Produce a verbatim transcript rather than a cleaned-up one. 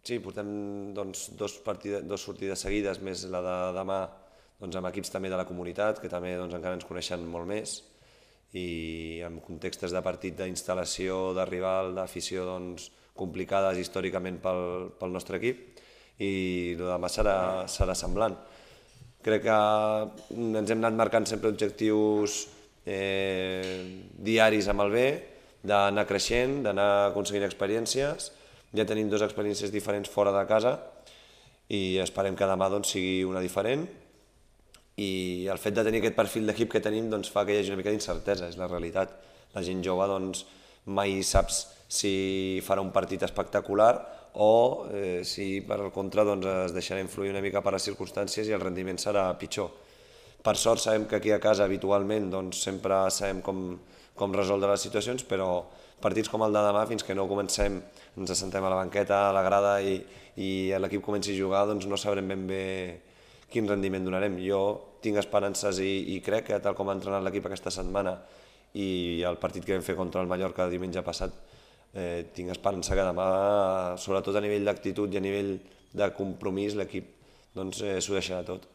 Sí, portem doncs, dos, partides, dos sortides seguides, més la de demà, doncs, amb equips també de la comunitat, que també doncs, encara ens coneixen molt més, i en contextes de partit d'instal·lació, de rival, d'afició doncs, complicades històricament pel, pel nostre equip, i el de demà serà, serà semblant. Crec que ens hem anat marcant sempre objectius eh, diaris amb el B, d'anar creixent, d'anar aconseguint experiències. Ja tenim dues experiències diferents fora de casa i esperem que demà doncs, sigui una diferent, i el fet de tenir aquest perfil d'equip que tenim doncs, fa que hi hagi una mica d'incertesa, és la realitat. La gent jove doncs, mai saps si farà un partit espectacular o eh, si per al contra doncs, es deixarà influir una mica per les circumstàncies i el rendiment serà pitjor. Per sort sabem que aquí a casa habitualment doncs, sempre sabem com, com resoldre les situacions, però partits com el de demà, fins que no comencem, ens assentem a la banqueta, a la grada i, i l'equip comenci a jugar, doncs no sabrem ben bé quin rendiment donarem. Jo tinc esperances i, i crec que tal com ha entrenat l'equip aquesta setmana i el partit que vam fer contra el Mallorca el diumenge passat, eh, tinc esperança que demà, sobretot a nivell d'actitud i a nivell de compromís, l'equip doncs, eh, s'ho deixarà tot.